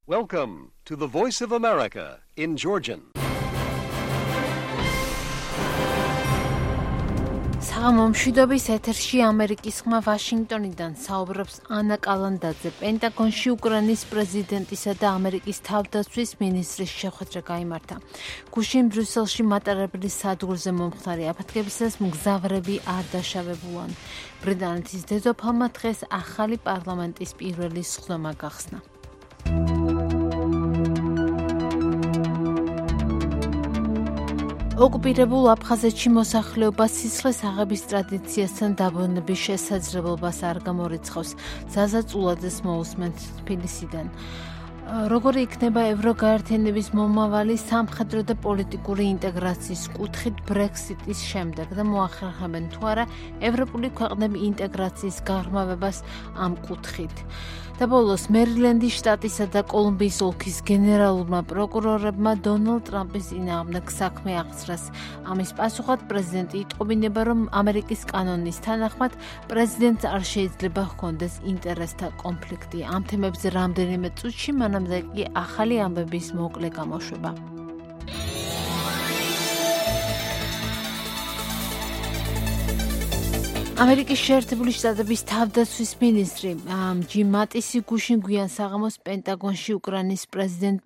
Welcome to the Voice of America in Georgian. მშვიდობის ეთერში ამერიკის ხმა ვაშინგტონიდან საუბრობს ანა კალანდაძე. პენტაგონში უკრაინის პრეზიდენტისა და ამერიკის თავდაცვის მინისტრის შეხვედრა გაიმართა. გუშინ ბრიუსელში მატარებლის სადგურზე მომხდარი აფეთქებისას მგზავრები არ დაშავებულან. ბრიტანეთის დედოფალმა დღეს ახალი პარლამენტის პირველი სხდომა გახსნა. ოკუპირებულ აფხაზეთში მოსახლეობა სისხლის აღების ტრადიციასთან დაბრუნების შესაძლებლობას არ გამორიცხავს. ზაზა წულაძეს მოусმენთ თბილისიდან. როგორი იქნება ევროგაერთიანების მომავალი სამხედრო და პოლიტიკური ინტეგრაციის კუთხით ბრექსიტის შემდეგ და მოახერხებენ თუ არა ევროპული ქვეყნები ინტეგრაციის გაღრმავებას ამ კუთხით. და ბოლოს მერილენდის შტატისა და კოლუმბიის ოლქის გენერალურმა პროკურორებმა დონალდ ტრამპის წინააღმდეგ საქმე აღძრას. ამის პასუხად პრეზიდენტი იტყობინება, რომ ამერიკის კანონის თანახმად პრეზიდენტს არ შეიძლება ჰქონდეს ინტერესთა კონფლიქტი. ამ თემებზე რამდენიმე წუთში, მანამდე კი ახალი ამბების მოკლე გამოშვება. ამერიკის შეერთებული შტატების თავდაცვის მინისტრი ჯიმ მატისი გუშინ გვიან საღამოს პენტაგონში უკრაინის პრეზიდენტ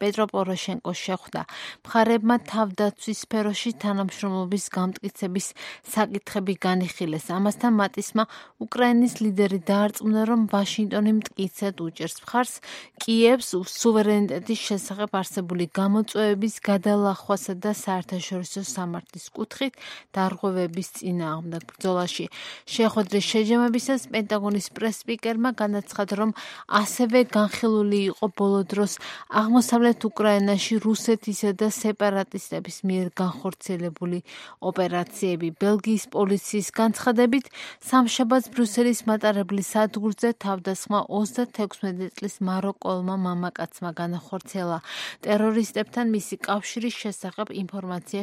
პეტრო პოროშენკოს შეხვდა. მხარეებმა თავდაცვის სფეროში თანამშრომლობის გამტკიცების საკითხები განიხილეს. ამასთან მატისმა უკრაინის ლიდერი დაარწმუნა, რომ ვაშინგტონი მტკიცედ უჭერს მხარს კიევს სუვერენიტეტის შესახებ არსებული გამოწვევების გადალახვასა და საერთაშორისო სამართლის კუთხით დარღვევების წინააღმდეგ ბრძოლაში. შეხვედრის შეჯამებისას პენტაგონის პრეს-სპიკერმა განაცხადა, რომ ასევე განხილული იყო ბოლო დროს აღმოსავლეთ უკრაინაში რუსეთისა და სეპარატისტების მიერ განხორციელებული ოპერაციები. ბელგიის პოლიციის განცხადებით, სამშაბათს ბრიუსელის მატარებლის სადგურზე თავდასხმა 36 წლის მაროკოელმა მამაკაცმა განახორციელა. ტერორისტებთან მისი კავშირის შესახებ ინფორმაცია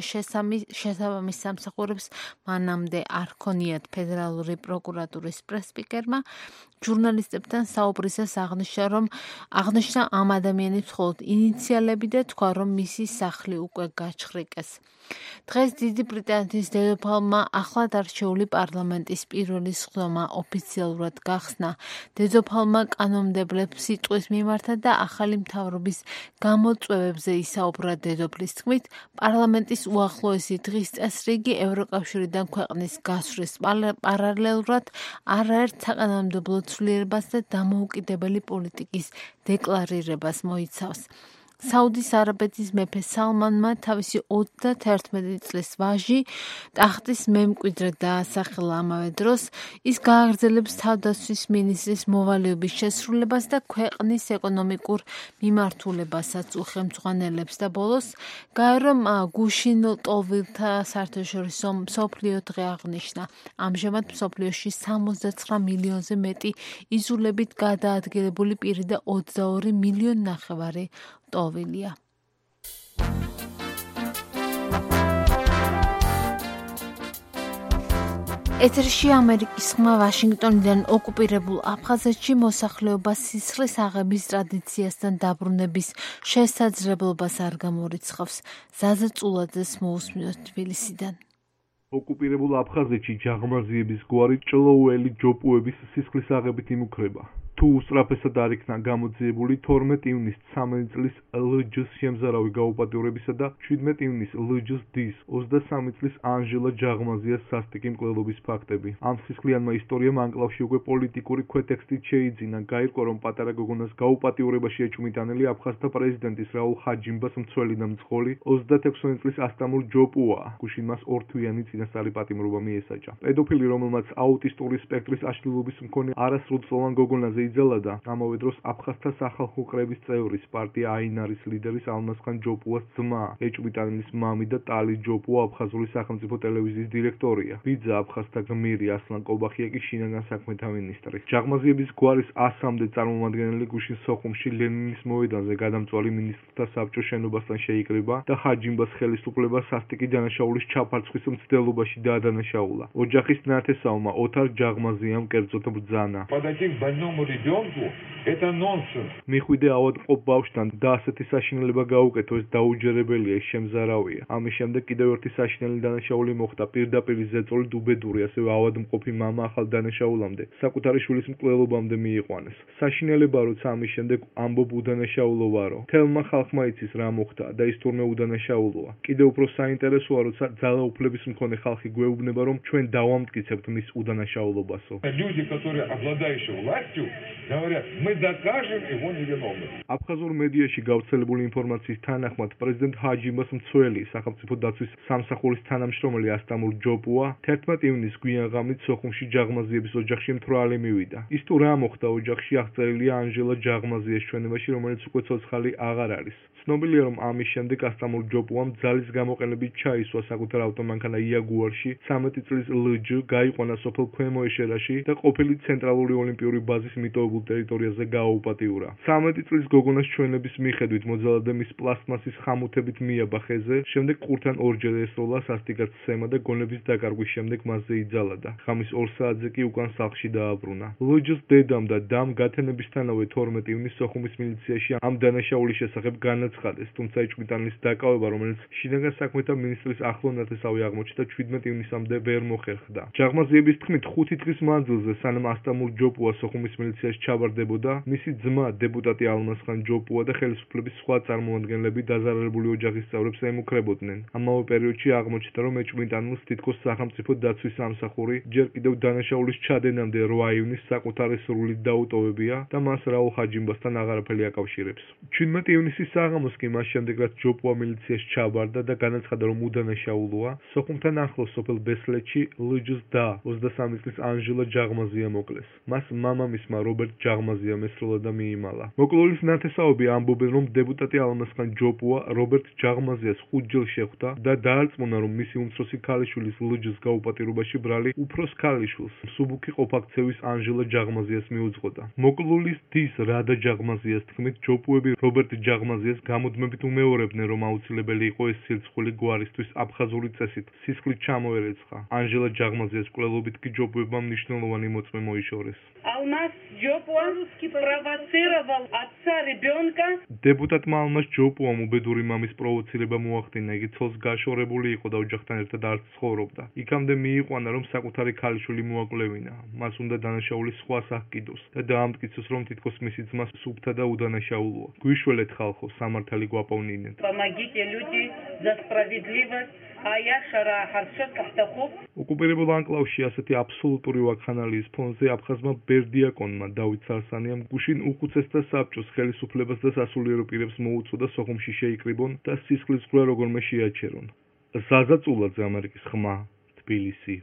შესაბამის სამსახურებს მანამდე არ ჰქონიათ. ფედერალური პროკურატურის პრეს-სპიკერმა ჟურნალისტებთან საუბრისას აღნიშნა ამ ადამიანის მხოლოდ ინიციალები და თქვა, რომ მისი სახლი უკვე გაჩხრიკეს. დღეს დიდი ბრიტანეთის დედოფალმა ახლად არჩეული პარლამენტის პირველი სხდომა ოფიციალურად გახსნა. დედოფალმა კანონმდებლებს სიტყვის მიმართა და ახალი მთავრობის გამოწვევებზე ისაუბრა. დედოფლის თქმით, პარლამენტის უახლოესი დღის წესრიგი ევროკავშირიდან ქვეყნის გასვლის პარალელურად არაერთ საკანონმდებლო ცვლილებას და დამოუკიდებელი პოლიტიკის დეკლარირებას მოიცავს. საუდის არაბეთის მეფე სალმანმა თავისი 31 წლის ვაჟი ტახტის მემკვიდრედ დაასახელა. ამავე დროს ის გააგრძელებს თავდაცვის მინისტრის მოვალეობის შესრულებას და ქვეყნის ეკონომიკურ მიმართულებასაც უხელმძღვანელებს და ბოლოს გაერო გუშინ ლტოლვილთა საერთაშორისო მსოფლიო დღე აღნიშნა. ამჟამად მსოფლიოში 69 მილიონზე მეტი იზოლებით გადაადგილებული პირი და 22 მილიონი ნახევარი ლტოლვილია. ეთერში ამერიკის ხმა ვაშინგტონიდან ოკუპირებულ აფხაზეთში მოსახლეობა სისხლის აღების ტრადიციასთან დაბრუნების შესაძლებლობას არ გამორიცხავს. ზაზა წულაძეს მოусმინოთ თბილისიდან. ოკუპირებულ აფხაზეთში ჯაღმაზიების გვარი ჭლოუელი ჯოპუების სისხლის აღებით იმუქრება. თუ უსწრაფესად არ იქნა გამოძიებული 12 ივნისს 13 წლის ლჯ-ს შემზარავი გაუპატიურებისა და 17 ივნისს ლჯ-ს დის 23 წლის ანჟელა ჯაღმაზიას სასტიკი მკვლელობის ფაქტები. ამ სისხლიანმა ისტორიამ ანკლავში უკვე პოლიტიკური ქვეტექსტით შეიძინა. გაირკვა, რომ პატარა გოგონას გაუპატიურებაში ეჭვმიტანელი აფხაზთა პრეზიდენტის რაულ ხაჯიმბას მცველი და მძღოლი 36 წლის ასტამურ ჯოპუა. გუშინ მას ორთვიანი წინასწარი პატიმრობა მიესაჯა. პედოფილი, რომელმაც აუტისტური სპექტრის აშლილობის მქონე არასრულწლოვან გოგონაზე იძალა და ამავე დროს აფხაზთა სახალხო კრების წევრის პარტია აინარის ლიდერის ალმაზხან ჯოპუას ძმა, ეჭვმიტანელის მამი და ტალი ჯოპუა აფხაზური სახელმწიფო ტელევიზიის დირექტორია. ბიძა აფხაზთა გმირი ასლან კობახია კი შინაგან საქმეთა მინისტრი. ჯაღმაზიების გვარის 100-მდე წარმომადგენელი გუშინ სოხუმში ლენინის მოედანზე გადამწვარი მინისტრთა საბჭოს შენობასთან შეიკრიბა და ხაჯიმბას ხელისუფლებას სასტიკი დანაშაულის ჩაფარცხვის მცდელობაში დაადანაშაულა. ოჯახის ნათესავმა ოთარ ჯაღმაზიამ კერძოდ ბრძანა. ребенку, это нонсенс. მიხვიდე ავადმყოფ ბავშვთან და ასეთი საშინელება გაუკეთო, ეს დაუჯერებელია, ეს შემზარავია. ამის შემდეგ კიდევ ერთი საშინელი დანაშაული მოხდა, პირდაპირ ზეწოლი დუბედური, ასევე ავადმყოფი მამა ახალ დანაშაულამდე, საკუთარი შვილის მკვლელობამდე მიიყვანეს. საშინელება, როცა ამის შემდეგ ამბობ უდანაშაულო ვარო. თელმა ხალხმა იცის რა მოხდა და ის თურმე udანაშაულოა. კიდევ უფრო საინტერესოა, როცა ძალაუფლების მქონე ხალხი გვეუბნება, რომ ჩვენ დავამტკიცებთ მის udანაშაულობასო. Люди, которые обладающие властью, говорят, мы докажем его невиновность. აფხაზურ მედიაში გავრცელებული ინფორმაციის თანახმად, პრეზიდენტ ჰაჯიმას მცველი სახელმწიფო დაცვის სამსახურის თანამშრომელი ასტამურ ჯოპუა 11 ივნისს გვიანღამით სოხუმში ჯაღმაზიების ოჯახში მთვრალი მივიდა. ის თუ რა მოხდა ოჯახში აღწერილია ანჟელა ჯაღმაზიას ჩვენებაში, რომელიც უკვე ცოცხალი აღარ არის. ცნობილია, რომ ამის შემდეგ ასტამურ ჯოპუამ ძალის გამოყენებით ჩაისვა საკუთარ ავტომანქანა იაგუარში 13 წლის ლჯ გაიყვანა სოფელ ქვემო ეშერაში და ყოფილი ცენტრალური ოლიმპიური ბაზის მიტოვებულ ტერიტორიაზე გააუპატიურა. 13 წლის გოგონას ჩვენების მიხედვით მოძალადე მის პლასტმასის ხამუთებით მიაბა ხეზე, შემდეგ ყურთან ორჯერ ესროლა სასტიკად სცემა და გონების დაკარგვის შემდეგ მასზე იძალადა. ღამის 2 საათზე კი უკან სახლში დააბრუნა. ლჯს დედამ და დამ გათენებისთანავე 12 ივნისს სოხუმის მილიციაში ამ დანაშაულის შესახებ განაცხადეს, თუმცა იჭმიტანილის დაკავება, რომელიც შინაგან საქმეთა მინისტრის ახლო ნათესავი აღმოჩნდა 17 ივნისამდე ვერ მოხერხდა. ჯაღმაზიების თქმით 5 დღის მანძილზე, სანამ ასტამურ ჯოპუა სოხუმის მილიციაში ჩაბარდებოდა, მისი ძმა დეპუტატი ალმასხან ჯოპუა და ხელისუფლების სხვა წარმომადგენლები დაზარალებული ოჯახის წევრებს ემუქრებოდნენ. ამავე პერიოდში აღმოჩნდა, რომ ეჭვმიტანილს თითქოს სახელმწიფო დაცვის სამსახური ჯერ კიდევ დანაშაულის ჩადენამდე 8 ივნისს საკუთარი სრულით დაუტოვებია და მას რაულ ჰაჯიმბასთან აღარაფერი აკავშირებს. 17 ივნისის საღამოს კი მას შემდეგ, რაც ჯოპუა მილიციაში ჩაბარდა და განაცხადა, რომ udანაშაულოა, სოხუმთან ახლოს სოფელ ბესლეთში ლჯს და 23 წლის ანჟელა ჯაღმაზია მოკლეს. მას მამამისმა რობერტ ჯაღმაზიამ ესროლა და მიიმალა. მოკლულის ნათესაობები ამბობენ, რომ დეპუტატი ალმასხან ჯოპუა რობერტ ჯაღმაზიას 5 ჯერ შეხვდა და დაარწმუნა, რომ მისი უმცროსი ქალიშვილის ლჯს გაუპატიურობაში ბრალი უფროს ქალიშვილს, მსუბუქი ყოფაქცევის ანჟელა ჯაღმაზიას მიუძღოდა. მოკლულის დის რადა ჯაღმაზიას თქმით, ჯოპუები რობერტ ჯაღმაზიას გამუდმებით უმეორებდნენ, რომ აუცილებელი იყო ეს სირცხული გვარისთვის აფხაზური წესით სისხლით ჩამოერეცხა. ანჟელა ჯაღმაზიას მკვლელობით კი ჯოპუებმა მნიშვნელოვანი მოწმე მოიშორეს. Алмаз Джопуа спровоцировал отца ребенка. დეპუტატმა ალმას ჯოპუამ უბედური მამის პროვოცირება მოახდინა. იგი ცოლს გაშორებული იყო და ოჯახთან ერთად არ ცხოვრობდა. იქამდე მიიყვანა, რომ საკუთარი ქალიშვილი მოაკვლევინა. მას უნდა დანაშაულის სხვა სახკიდოს და დაამტკიცოს, რომ თითქოს მისი ძმა სუფთა და უდანაშაულოა. გვიშველეთ ხალხო, სამართალი გვაპოვნინეთ. Помогите люди за справедливость. ოკუპირებულ ანკლავში ასეთი აბსოლუტური ვაქხანალიის ფონზე აფხაზმა ბერდიაკონმა დავით სარსანიამ გუშინ უხუცესთა საბჭოს ხელისუფლებას და სასულიერო პირებს მოუწოდა სოხუმში შეიკრიბონ და სისხლის ზღვრა როგორმე შეაჩერონ. ზაზა წულაძე, ამერიკის ხმა, თბილისი.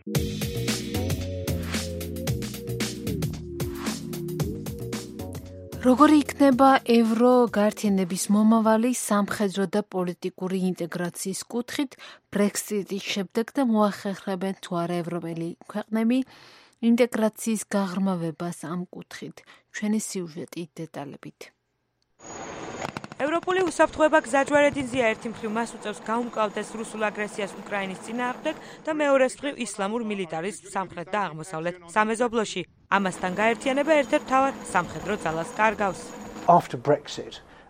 როგორი იქნება ევროგაერთიანების მომავალი სამხედრო და პოლიტიკური ინტეგრაციის კუთხით ბრექსიტის შემდეგ და მოახერხებენ თუ არა ევროპელი ქვეყნები ინტეგრაციის გაღრმავებას ამ კუთხით. ჩვენი სიუჟეტი დეტალებით. ევროპული უსაფრთხოება გზაჯვარედინზეა, ერთი მხრივ მას უწევს გაუმკლავდეს რუსულ აგრესიას უკრაინის წინააღმდეგ და მეორე მხრივ ისლამურ მილიტარისტს სამხრეთ და აღმოსავლეთ სამეზობლოში. ამასთან გაერთიანება ერთ-ერთ მთავარ სამხედრო ძალას კარგავს.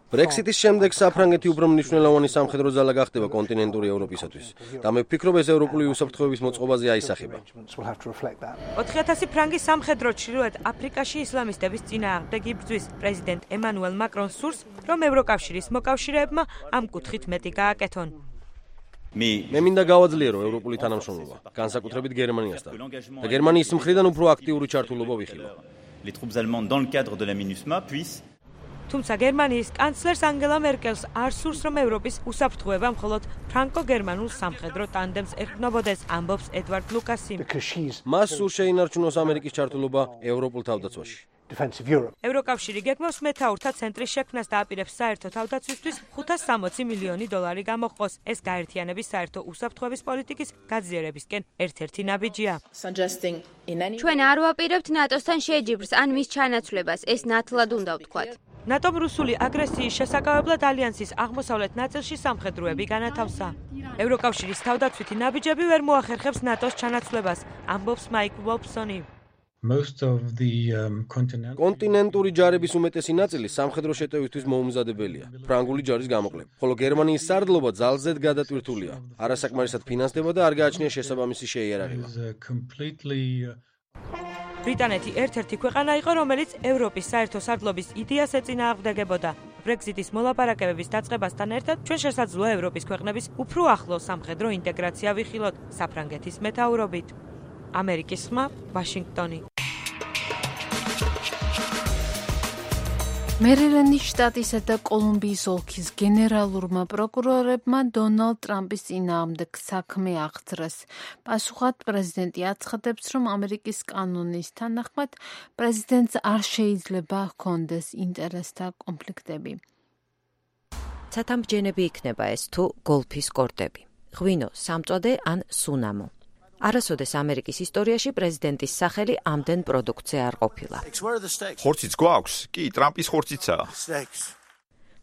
ბრექსიტის შემდეგ საფრანგეთი უფრო მნიშვნელოვანი სამხედრო ძალა გახდება კონტინენტური ევროპისათვის და მე ვფიქრობ, ეს ევროპული უსაფრთხოების მოწყობაზე აისახება. 4000 ფრანგის სამხედრო ჩრდილოეთ აფრიკაში ისლამისტების წინააღმდეგ იბრძვის. პრეზიდენტ ემანუელ მაკრონს სურს, რომ ევროკავშირის მოკავშირეებმა ამ კუთხით მეტი გააკეთონ. მე მინდა გავაძლიერო ევროპული თანამშრომლობა, განსაკუთრებით გერმანიასთან და გერმანიის მხრიდან უფრო აქტიური ჩართულობა ვიხილო. თუმცა გერმანიის კანცლერს ანგელა მერკელს არ სურს, რომ ევროპის უსაფრთხოება მხოლოდ ფრანკო-გერმანულ სამხედრო ტანდემს ეყრდნობოდეს, ამბობს ედვარდ ლუკასი. მას სურს შეინარჩუნოს ამერიკის ჩართულობა ევროპულ თავდაცვაში. ევროკავშირი გეგმავს მეთაურთა ცენტრის შექმნას და აპირებს საერთო თავდაცვისთვის 560 მილიონი დოლარი გამოჰყოს. ეს გაერთიანების საერთო უსაფრთხოების პოლიტიკის გაძლიერებისკენ ერთ-ერთი ნაბიჯია. ჩვენ არ ვაპირებთ ნატოსთან შეჯიბრს ან მის ჩანაცვლებას, ეს ნათლად უნდა ვთქვათ. ნატომ რუსული აგრესიის შესაკავებლად ალიანსის აღმოსავლეთ ნაწილში სამხედროები განათავსა. ევროკავშირის თავდაცვითი ნაბიჯები ვერ მოახერხებს ნატოს ჩანაცვლებას, ამბობს მაიკ ვოლფსონი. კონტინენტური ჯარების უმეტესი ნაწილი სამხედრო შეტევითთვის მოუმზადებელია, ფრანგული ჯარის გამოკლებით, ხოლო გერმანიის სარდლობა ძალზედ გადატვირთულია. არასაკმარისად ფინანსდება და არ გააჩნია შესაბამისი შეიარაღება. ბრიტანეთი ერთ-ერთი ქვეყანა იყო, რომელიც ევროპის საერთო სარდლობის იდეას ეწინააღმდეგებოდა. ბრექსიტის მოლაპარაკებების დაწყებასთან ერთად ჩვენ შესაძლოა ევროპის ქვეყნების უფრო ახლო სამხედრო ინტეგრაცია ვიხილოთ საფრანგეთის მეთაურობით. ამერიკის ხმა, ვაშინგტონი. მერილენდის შტატისა და კოლუმბიის ოლქის გენერალურმა პროკურორებმა დონალდ ტრამპის წინააღმდეგ საქმე აღძრეს. პასუხად პრეზიდენტი აცხადებს, რომ ამერიკის კანონის თანახმად პრეზიდენტს არ შეიძლება ჰქონდეს ინტერესთა კონფლიქტები. ცათამბჯენები იქნება ეს თუ გოლფის კორტები, ღვინო, სამწვადე ან სუნამო. არასოდეს ამერიკის ისტორიაში პრეზიდენტის სახელი ამდენ პროდუქტზე არ ყოფილა. ხორციც გვაქვს? კი, ტრამპის ხორციცაა.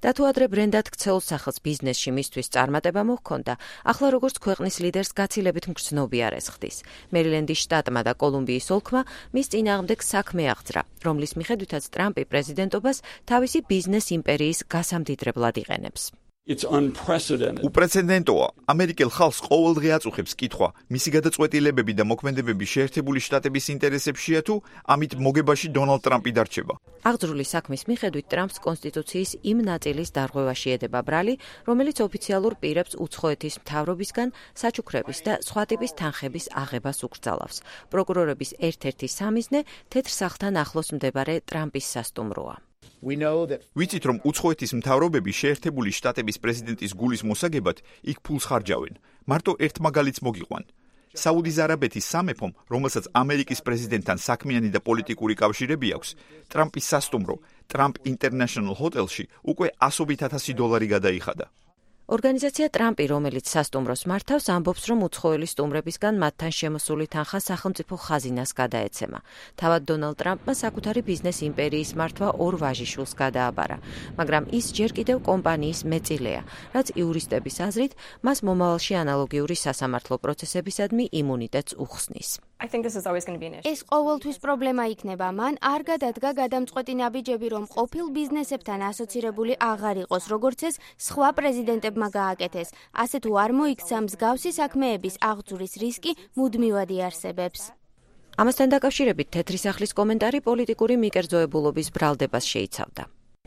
და თუ ადრე ბრენდად ქცეულ სახელს ბიზნესში მისთვის წარმატება მოჰქონდა, ახლა როგორც ქვეყნის ლიდერს გაცილებით მგრძნობი არ ესხდის. მერილენდის შტატმა და კოლუმბიის ოლქმა მის წინააღმდეგ საქმე აღძრა, რომლის მიხედვითაც ტრამპი პრეზიდენტობას თავისი ბიზნეს იმპერიის გასამდიდრებლად იყენებს. უპრეცედენტოა. ამერიკელ ხალხს ყოველდღე აწუხებს კითხვა, მისი გადაწყვეტილებები და მოქმედებები შეერთებული შტატების ინტერესებშია თუ ამით მოგებაში დონალდ ტრამპი დარჩება. აღძრული საქმის მიხედვით ტრამპს კონსტიტუციის იმ ნაწილის დარღვევაში ედება ბრალი, რომელიც ოფიციალურ პირებს უცხოეთის მთავრობისგან საჩუქრების და სხვა ტიპის თანხების აღებას უკრძალავს. პროკურორების ერთ-ერთი სამიზნე თეთრ სახლთან ახლოს მდებარე ტრამპის სასტუმროა. ვიცით, რომ უცხოეთის მთავრობები შეერთებული შტატების პრეზიდენტის გულის მოსაგებად იქ ფულს ხარჯავენ. მარტო ერთ მაგალითს მოგიყვან. საუდის არაბეთის სამეფომ, რომელსაც ამერიკის პრეზიდენტთან საქმიანი და პოლიტიკური კავშირები აქვს, ტრამპის სასტუმრო, ტრამპ ინტერნეშნალ ჰოტელში უკვე $100,000 გადაიხადა. ორგანიზაცია ტრამპი, რომელიც სასტუმროს მართავს, ამბობს, რომ უცხოელი სტუმრებისგან მათთან შემოსული თანხა სახელმწიფო ხაზინას გადაეცემა. თავად დონალდ ტრამპმა საკუთარი ბიზნეს იმპერიის მართვა 2 ვაჟიშვილს გადააბარა, მაგრამ ის ჯერ კიდევ კომპანიის მეწილეა, რაც იურისტების აზრით მას მომავალში ანალოგიური სასამართლო პროცესებისადმი იმუნიტეტს უხსნის. ეს ყოველთვის პრობლემა იქნება. მან არ გადადგა გადამწყვეტი ნაბიჯები, რომ ყოფილ ბიზნესებთან ასოცირებული აღარ იყოს, როგორც ეს სხვა პრეზიდენტებმა გააკეთეს. ასე თუ არ მოიქცა, მსგავსი საქმეების აღძვრის რისკი მუდმივად იარსებებს. ამასთან დაკავშირებით თეთრი სახლის კომენტარი პოლიტიკური მიკერძოებულობის ბრალდებას შეიცავდა.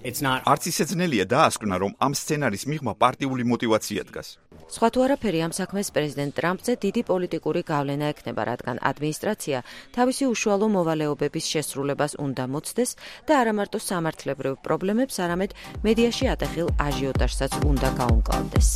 არც ისე ძნელია დაასკვნა, რომ ამ სცენარის მიღმა პარტიული მოტივაცია დგას. სხვა თუ არაფერი ამ საქმეს პრეზიდენტ ტრამპზე დიდი პოლიტიკური გავლენა ექნება, რადგან ადმინისტრაცია თავისი უშუალო მოვალეობების შესრულებას უნდა მოცდეს და არა მარტო სამართლებრივ პრობლემებს, არამედ მედიაში ატეხილ აჟიოტაჟსაც უნდა გაუმკლავდეს.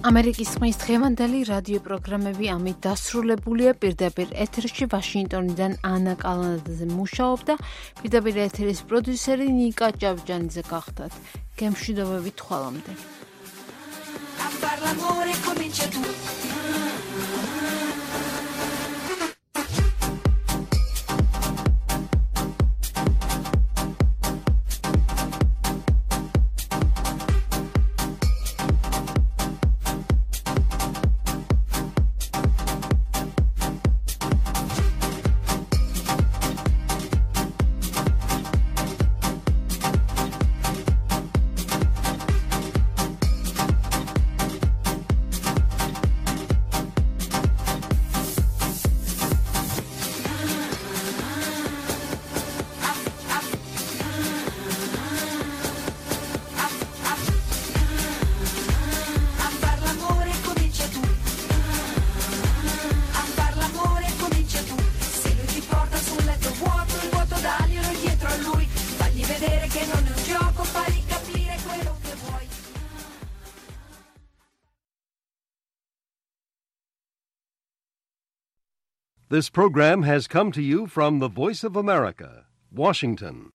ამერიკის ხმის დღევანდელი რადიო პროგრამები ამით დასრულებულია. პირდაპირ ეთერში ვაშინგტონიდან ანა კალანდაძე მუშაობდა, პირდაპირ ეთერის პროდიუსერი ნიკა ჭავჭანიძე გახდათ. გემშვიდობებით ხვალამდე. This program has come to you from the Voice of America, Washington.